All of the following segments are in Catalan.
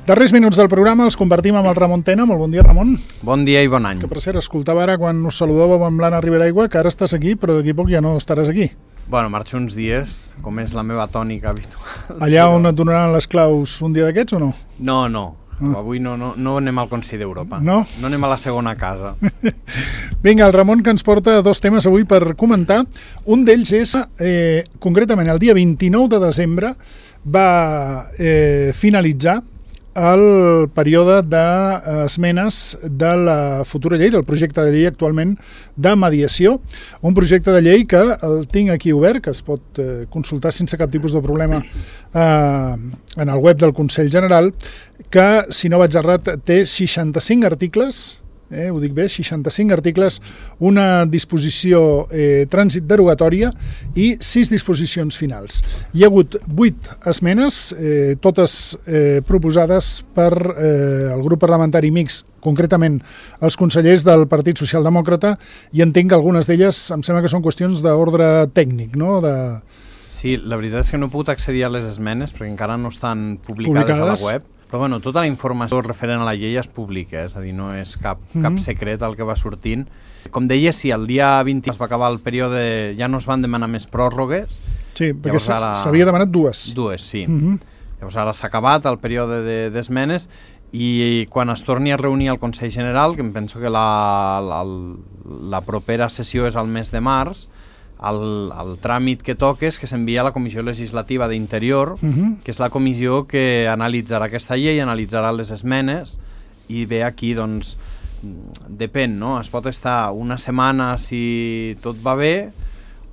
Darrers minuts del programa els convertim amb el Ramon Tena. Molt bon dia, Ramon. Bon dia i bon any. Que per cert, escoltava ara quan us saludàvem amb l'Anna Riberaigua que ara estàs aquí, però d'aquí poc ja no estaràs aquí. Bueno, marxo uns dies, com és la meva tònica habitual. Allà on et donaran les claus un dia d'aquests o no? No. Avui no anem al Consell d'Europa. No? No anem a la segona casa. Vinga, el Ramon, que ens porta dos temes avui per comentar. Un d'ells és, concretament, el dia 29 de desembre va finalitzar el període d'esmenes de la futura llei, del projecte de llei actualment de mediació, un projecte de llei que el tinc aquí obert, que es pot consultar sense cap tipus de problema en el web del Consell General, que, si no vaig errat, té 65 articles, ho dic bé, 65 articles, una disposició trànsit derogatòria i 6 disposicions finals. Hi ha hagut 8 esmenes, totes proposades per el grup parlamentari mixt, concretament els consellers del Partit Socialdemòcrata, i entenc que algunes d'elles em sembla que són qüestions d'ordre tècnic, no? Sí, la veritat és que no he pogut accedir a les esmenes perquè encara no estan publicades a la web. Però bueno, tota la informació referent a la llei es publica, és a dir, no és cap secret el que va sortint. Com deia, si el dia 20 es va acabar el període, ja no es van demanar més pròrrogues. Sí, perquè s'havia demanat dues. Dues, sí. Llavors ara s'ha acabat el període d'esmenes i quan es torni a reunir el Consell General, que em penso que la propera sessió és al mes de març, el tràmit que toca és que s'envia a la Comissió Legislativa d'Interior, que és la comissió que analitzarà aquesta llei, analitzarà les esmenes i ve aquí, doncs, depèn, no? Es pot estar una setmana si tot va bé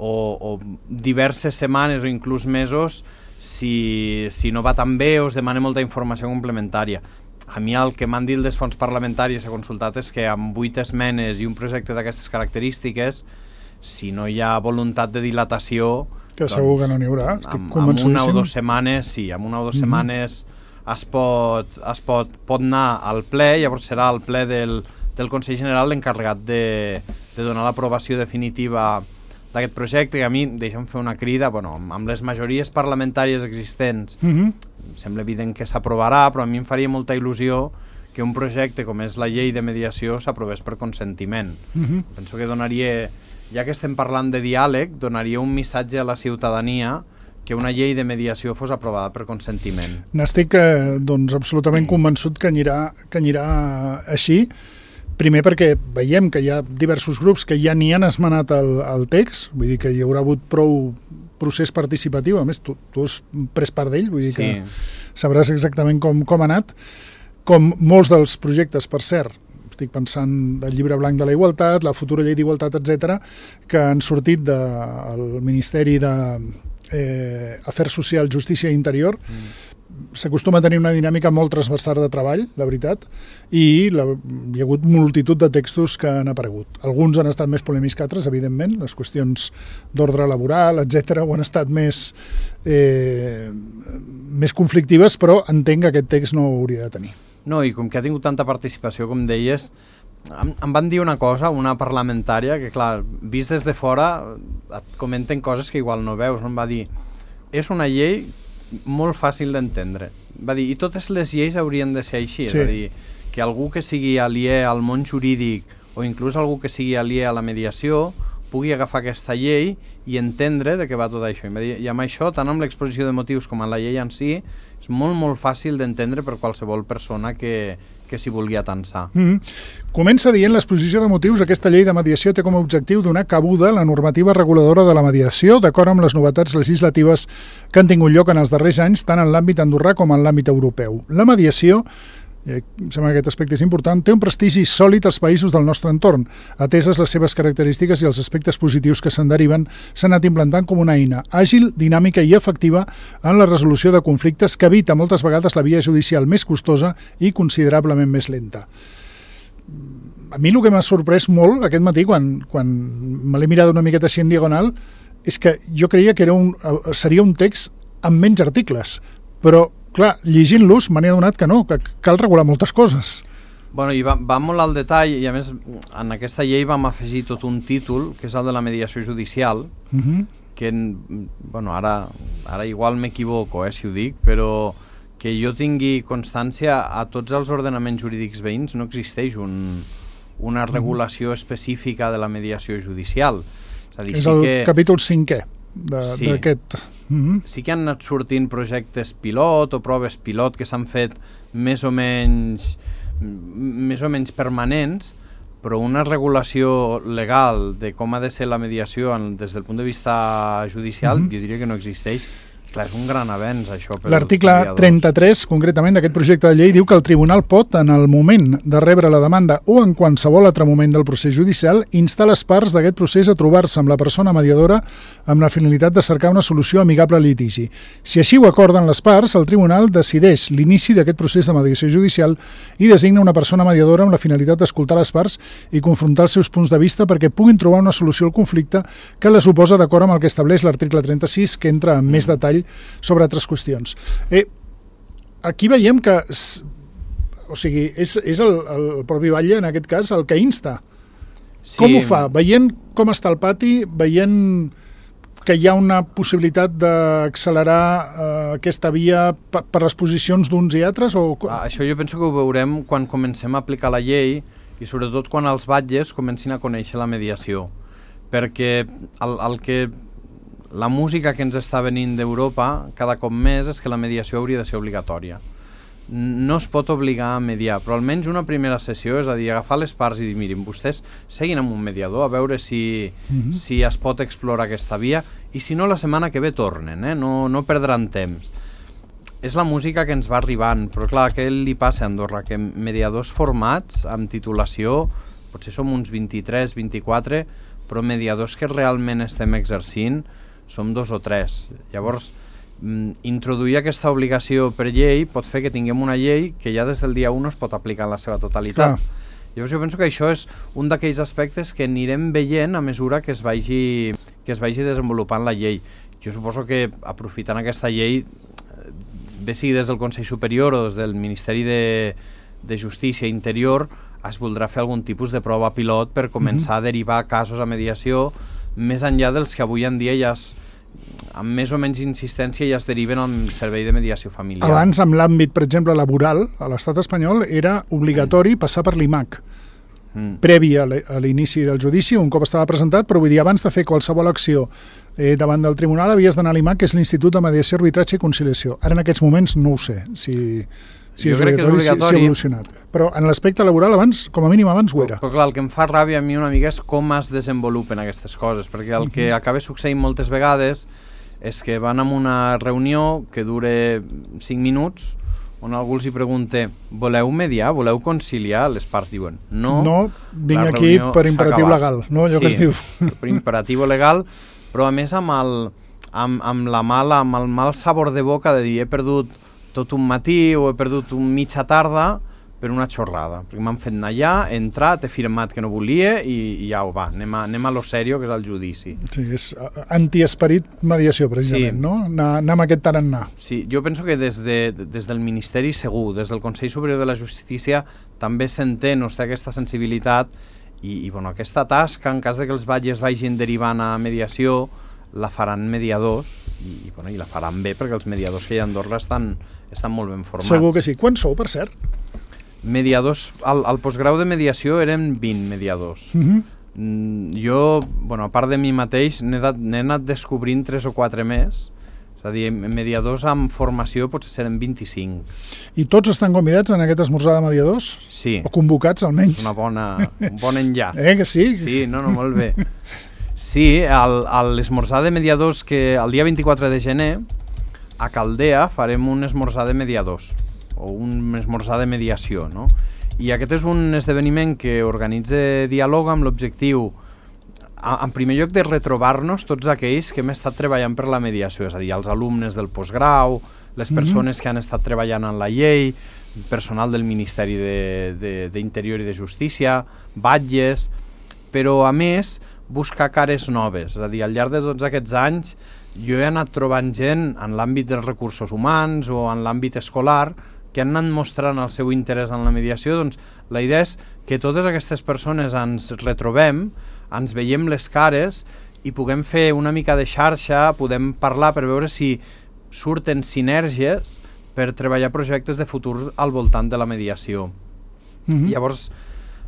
o diverses setmanes o inclús mesos si no va tan bé o es demana molta informació complementària. A mi el que m'han dit les fonts parlamentàries he consultat és que amb 8 esmenes i un projecte d'aquestes característiques, si no hi ha voluntat de dilatació... Que segur que no n'hi haurà, estic convençudíssim. Amb una o dues setmanes, sí, amb una o dues setmanes es pot anar al ple, llavors serà el ple del Consell General l'encarregat de donar l'aprovació definitiva d'aquest projecte, que a mi, deixa'm fer una crida, bueno, amb les majories parlamentàries existents, sembla evident que s'aprovarà, però a mi em faria molta il·lusió que un projecte com és la llei de mediació s'aprovés per consentiment. Penso que donaria... Ja que estem parlant de diàleg, donaria un missatge a la ciutadania que una llei de mediació fos aprovada per consentiment. N'estic absolutament convençut que anirà així. Primer perquè veiem que hi ha diversos grups que ja n'hi han esmenat el text, vull dir que hi haurà hagut prou procés participatiu, a més tu has pres part d'ell, vull dir que sabràs exactament com ha anat, com molts dels projectes, per cert. Estic pensant del llibre blanc de la igualtat, la futura llei d'igualtat, etc., que han sortit del Ministeri d'Afers Socials, Justícia i Interior. S'acostuma a tenir una dinàmica molt transversal de treball, la veritat, i hi ha hagut multitud de textos que han aparegut. Alguns han estat més polèmics que altres, evidentment, les qüestions d'ordre laboral, etc., ho han estat més conflictives, però entenc que aquest text no ho hauria de tenir. No, i com que ha tingut tanta participació, com deies, em van dir una cosa, una parlamentària, que clar, vist des de fora et comenten coses que igual no veus. Em va dir, és una llei molt fàcil d'entendre. Va dir, i totes les lleis haurien de ser així, és a dir, que algú que sigui aliè al món jurídic o inclús algú que sigui aliè a la mediació pugui agafar aquesta llei i entendre de què va tot això. I amb això, tant amb l'exposició de motius com amb la llei en si, és molt, molt fàcil d'entendre per qualsevol persona que s'hi vulgui atansar. Comença dient l'exposició de motius: aquesta llei de mediació té com a objectiu donar cabuda a la normativa reguladora de la mediació d'acord amb les novetats legislatives que han tingut lloc en els darrers anys tant en l'àmbit andorrà com en l'àmbit europeu. La mediació, em sembla que aquest aspecte és important, té un prestigi sòlid als països del nostre entorn. Ateses les seves característiques i els aspectes positius que se'n deriven, s'ha anat implantant com una eina àgil, dinàmica i efectiva en la resolució de conflictes que evita moltes vegades la via judicial més costosa i considerablement més lenta. A mi el que m'ha sorprès molt aquest matí, quan me l'he mirat una miqueta així en diagonal, és que jo creia que seria un text amb menys articles, però clar, llegint-los m'he adonat que no, que cal regular moltes coses. Bueno, i va molt al detall, i a més en aquesta llei vam afegir tot un títol, que és el de la mediació judicial, que, bueno, ara igual m'equivoco, si ho dic, però que jo tingui constància, a tots els ordenaments jurídics veïns no existeix una regulació específica de la mediació judicial. És a dir, és el capítol 5è d'aquest. Sí que han anat sortint projectes pilot o proves pilot que s'han fet més o menys permanents, però una regulació legal de com ha de ser la mediació des del punt de vista judicial, jo diria que no existeix. Clar, és un gran avenç, això. L'article 33, concretament, d'aquest projecte de llei, diu que el tribunal pot, en el moment de rebre la demanda o en qualsevol altre moment del procés judicial, instar les parts d'aquest procés a trobar-se amb la persona mediadora amb la finalitat de cercar una solució amigable al litigi. Si així ho acorden les parts, el tribunal decideix l'inici d'aquest procés de mediació judicial i designa una persona mediadora amb la finalitat d'escoltar les parts i confrontar els seus punts de vista perquè puguin trobar una solució al conflicte que les oposa d'acord amb el que estableix l'article 36, que entra en més detall sobre altres qüestions. Aquí veiem que és el propi Batlle, en aquest cas, el que insta. Sí. Com ho fa? Veient com està el pati, veient que hi ha una possibilitat d'accelerar aquesta via per les posicions d'uns i altres? Això jo penso que ho veurem quan comencem a aplicar la llei i sobretot quan els batlles comencin a conèixer la mediació. Perquè la música que ens està venint d'Europa cada cop més és que la mediació hauria de ser obligatòria. No es pot obligar a mediar, però almenys una primera sessió, és a dir, agafar les parts i dir, mirin, vostès seguin amb un mediador a veure si es pot explorar aquesta via i si no la setmana que ve tornen, no perdran temps. És la música que ens va arribant, però clar, què li passa a Andorra? Que mediadors formats amb titulació, potser som uns 23, 24, però mediadors que realment estem exercint som 2 o 3. Llavors, introduir aquesta obligació per llei pot fer que tinguem una llei que ja des del dia 1 es pot aplicar en la seva totalitat. Llavors jo penso que això és un d'aquells aspectes que anirem veient a mesura que es vagi desenvolupant la llei. Jo suposo que aprofitant aquesta llei, bé sigui des del Consell Superior o des del Ministeri de Justícia i Interior, es voldrà fer algun tipus de prova pilot per començar a derivar casos a mediació més enllà dels que avui en dia ja amb més o menys insistència ja es deriven al servei de mediació familiar. Abans, amb l'àmbit, per exemple, laboral, a l'estat espanyol era obligatori passar per l'IMAC, previ a l'inici del judici, un cop estava presentat, però vull dir, abans de fer qualsevol acció davant del tribunal havies d'anar a l'IMAC, que és l'Institut de Mediació, Arbitratge i Conciliació. Ara en aquests moments no ho sé, si és obligatori, si ha evolucionat. Però en l'aspecte laboral, abans, com a mínim abans ho era. Però clar, el que em fa ràbia a mi una mica és com es desenvolupen aquestes coses, perquè el que acaba succeint moltes vegades és que van a una reunió que dure 5 minuts, on algú els hi pregunta, voleu mediar, voleu conciliar? Les parts diuen, no, vinc aquí per imperatiu legal, no? Allò que es diu. Per imperatiu legal, però a més amb el mal sabor de boca de dir he perdut tot un matí o he perdut mitja tarda per una xorrada, perquè m'han fet anar allà, he entrat, he firmat que no volia i ja ho va, anem a lo serio, que és el judici. Sí, és antiesperit mediació, precisament, no? Anar amb aquest tarannà. Sí, jo penso que des del Ministeri segur, des del Consell Superior de la Justícia també s'entén o té aquesta sensibilitat i aquesta tasca, en cas que els batlles vagin derivant a mediació, la faran mediadors i la faran bé, perquè els mediadors que hi ha a Andorra estan molt ben formats. Segur que sí. Quants sou, per cert? Mediadors, al postgrau de mediació eren 20 mediadors. Jo, a part de mi mateix, n'he anat descobrint 3 o 4 més, és a dir, mediadors amb formació potser seran 25. I tots estan convidats en aquest esmorzar de mediadors? Sí. O convocats, almenys? Un bon enllaç. Que sí? Sí, molt bé. Sí, a l'esmorzar de mediadors que el dia 24 de gener a Caldea farem un esmorzar de mediadors o un esmorzar de mediació, no? I aquest és un esdeveniment que organitza Diàleg amb l'objectiu, en primer lloc, de retrobar-nos tots aquells que hem estat treballant per la mediació, és a dir, els alumnes del postgrau, les persones que han estat treballant en la llei, personal del Ministeri d'Interior i de Justícia, batlles, però a més buscar cares noves, és a dir, al llarg de tots aquests anys jo he anat trobant gent en l'àmbit dels recursos humans o en l'àmbit escolar que han anat mostrant el seu interès en la mediació. Doncs la idea és que totes aquestes persones ens retrobem, ens veiem les cares i puguem fer una mica de xarxa, podem parlar per veure si surten sinergies per treballar projectes de futur al voltant de la mediació. Llavors,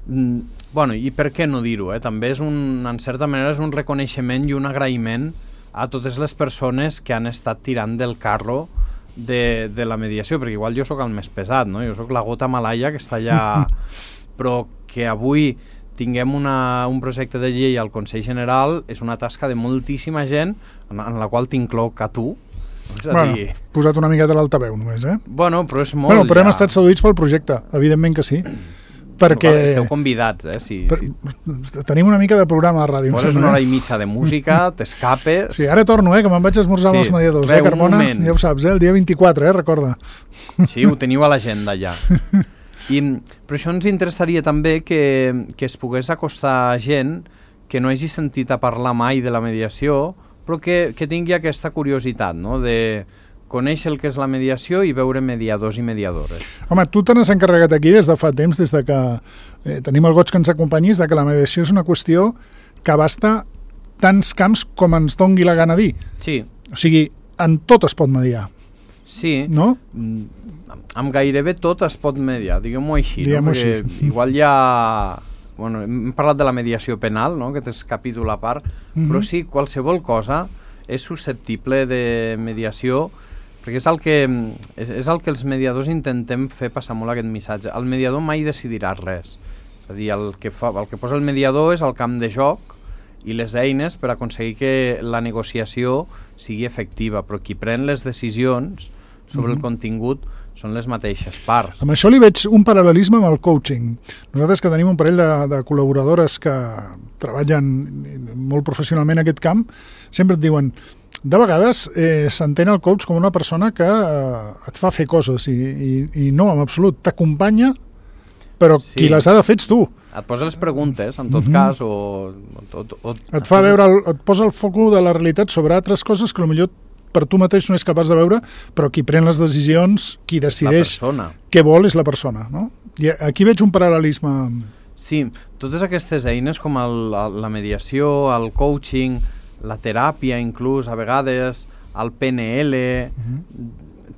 bueno, i per què no dir-ho? També és en certa manera és un reconeixement i un agraïment a totes les persones que han estat tirant del carro de la mediació, perquè igual jo sóc el més pesat, no? Jo sóc la gota malaia que està allà, però que avui tinguem un projecte de llei al Consell General és una tasca de moltíssima gent en la qual t'incloc a tu. Posat una miqueta a l'altaveu només, Bueno, però és molt... Però hem estat seduïts pel projecte, evidentment que sí. Perquè... Esteu convidats, Tenim una mica de programa de ràdio. Poses una hora i mitja de música, t'escapes... Sí, ara torno, que me'n vaig esmorzar amb els mediadors, Carmona? Ja ho saps, el dia 24, recorda. Sí, ho teniu a l'agenda ja. Però això ens interessaria també que es pogués acostar gent que no hagi sentit a parlar mai de la mediació, però que tingui aquesta curiositat, no?, de conèixer el que és la mediació i veure mediadors i mediadores. Home, tu te n'has encarregat aquí des de fa temps, des de que tenim el goig que ens acompanyis, de que la mediació és una qüestió que abasta tants camps com ens dongui la gana dir. Sí. O sigui, en tot es pot mediar. Sí. No? Amb gairebé tot es pot mediar, diguem-ho així. Diguem-ho així. Igual hi ha... Bueno, hem parlat de la mediació penal, no?, que és capítol a part, però sí, qualsevol cosa és susceptible de mediació, perquè és el que els mediadors intentem fer passar molt aquest missatge. El mediador mai decidirà res. És a dir, el que posa el mediador és el camp de joc i les eines per aconseguir que la negociació sigui efectiva, però qui pren les decisions sobre el contingut són les mateixes parts. Amb això li veig un paral·lelisme amb el coaching. Nosaltres que tenim un parell de col·laboradores que treballen molt professionalment en aquest camp, sempre et diuen, de vegades s'entén el coach com una persona que et fa fer coses i no, en absolut, t'acompanya, però qui les ha de fer ets tu. Et posa les preguntes, en tot cas, o et fa veure, et posa el foco de la realitat sobre altres coses que potser per tu mateix no és capaç de veure, però qui pren les decisions, qui decideix què vol és la persona, no? I aquí veig un paral·lelisme. Sí, totes aquestes eines com la mediació, el coaching, la teràpia inclús, a vegades, el PNL,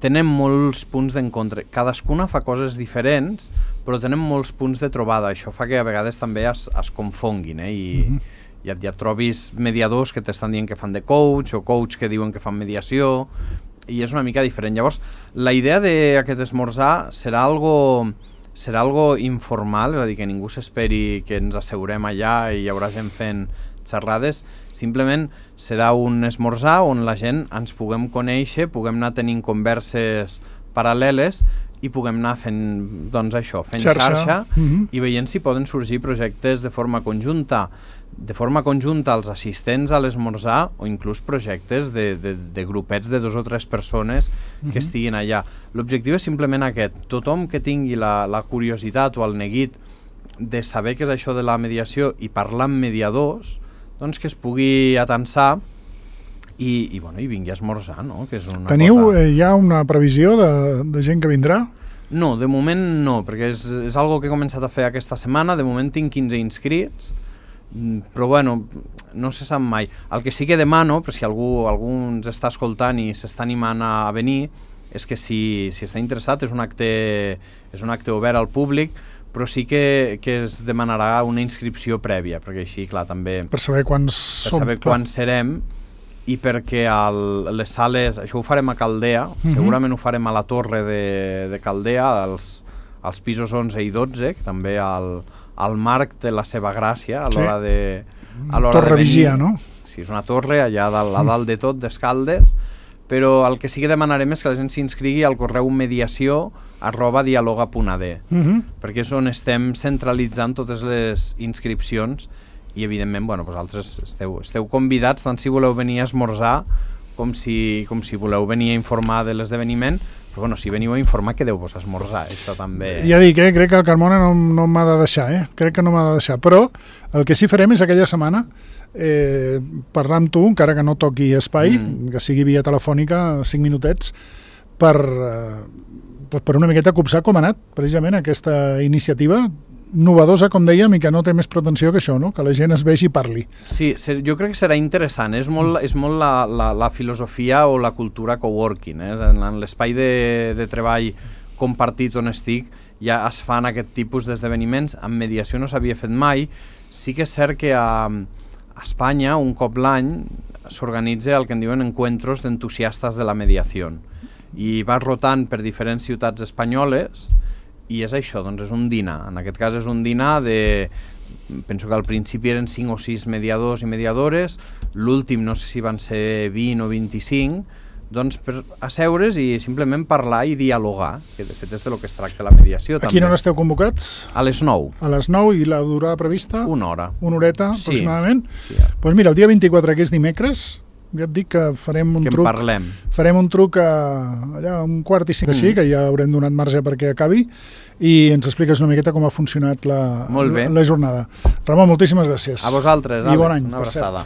tenen molts punts d'encontre. Cadascuna fa coses diferents, però tenen molts punts de trobada. Això fa que a vegades també es confonguin, i ja trobis mediadors que t'estan dient que fan de coach o coach que diuen que fan mediació i és una mica diferent. Llavors, la idea d'aquest esmorzar serà algo informal, és a dir, que ningú s'esperi que ens asseurem allà i hi haurà gent fent xerrades, simplement serà un esmorzar on la gent ens puguem conèixer, puguem anar tenint converses paral·leles i puguem anar fent, doncs això, fent xarxa i veient si poden sorgir projectes de forma conjunta als assistents a l'esmorzar o inclús projectes de grupets de 2 o 3 persones que estiguin allà. L'objectiu és simplement aquest. Tothom que tingui la curiositat o el neguit de saber què és això de la mediació i parlar amb mediadors, doncs que es pugui atansar i vingui a esmorzar, no? Que és una Teniu ja una previsió de gent que vindrà? No, de moment no, perquè és algo que he començat a fer aquesta setmana. De moment tinc 15 inscrits, però bueno, no se sap mai. El que sí que demano, però si algú ens està escoltant i s'està animant a venir, és que si està interessat és un acte obert al públic, però sí que es demanarà una inscripció prèvia, perquè així, clar, també... Per saber quants som. Per saber quants serem, i perquè les sales, això ho farem a Caldea, segurament ho farem a la torre de Caldea, als pisos 11 i 12, que també al Marc té la seva gràcia a l'hora de Torre Vigia, no? Sí, és una torre allà a dalt de tot, d'Escaldes, però el que sí que demanarem és que la gent s'inscrigui al correu mediació@dialoga.ad, perquè és on estem centralitzant totes les inscripcions i evidentment, vosaltres esteu convidats tant si voleu venir a esmorzar com si voleu venir a informar de l'esdeveniment, però si veniu a informar quedeu-vos a esmorzar, això també... Ja dic, crec que el Carmona no m'ha de deixar, crec que no m'ha de deixar, però el que sí farem és aquella setmana parlar amb tu, encara que no toqui espai, que sigui via telefònica, 5 minutets, per una miqueta copsar com ha anat precisament aquesta iniciativa novedosa, com dèiem, i que no té més pretensió que això, no? Que la gent es vegi i parli. Sí, jo crec que serà interessant. És molt la filosofia o la cultura coworking. En l'espai de treball compartit on estic ja es fan aquest tipus d'esdeveniments. En mediació no s'havia fet mai. Sí que és cert que a Espanya, un cop l'any, s'organitza el que en diuen encuentros d'entusiastes de la mediació. I vas rotant per diferents ciutats espanyoles i és això, doncs és un dinar. En aquest cas és un dinar penso que al principi eren 5 o 6 mediadors i mediadores, l'últim no sé si van ser 20 o 25, doncs per asseure's i simplement parlar i dialogar, que de fet és de lo que es tracta la mediació. A quina hora esteu convocats? A les 9. A les 9 i la durada prevista? Una hora. Una horeta, sí, aproximadament? Sí. Doncs mira, el dia 24, que és dimecres, ja et dic que farem un truc. Farem un truc allà a 1:45, així, que ja haurem donat marge perquè acabi, i ens expliques una miqueta com ha funcionat la jornada. Ramon, moltíssimes gràcies. A vosaltres, i bon any. Una abraçada.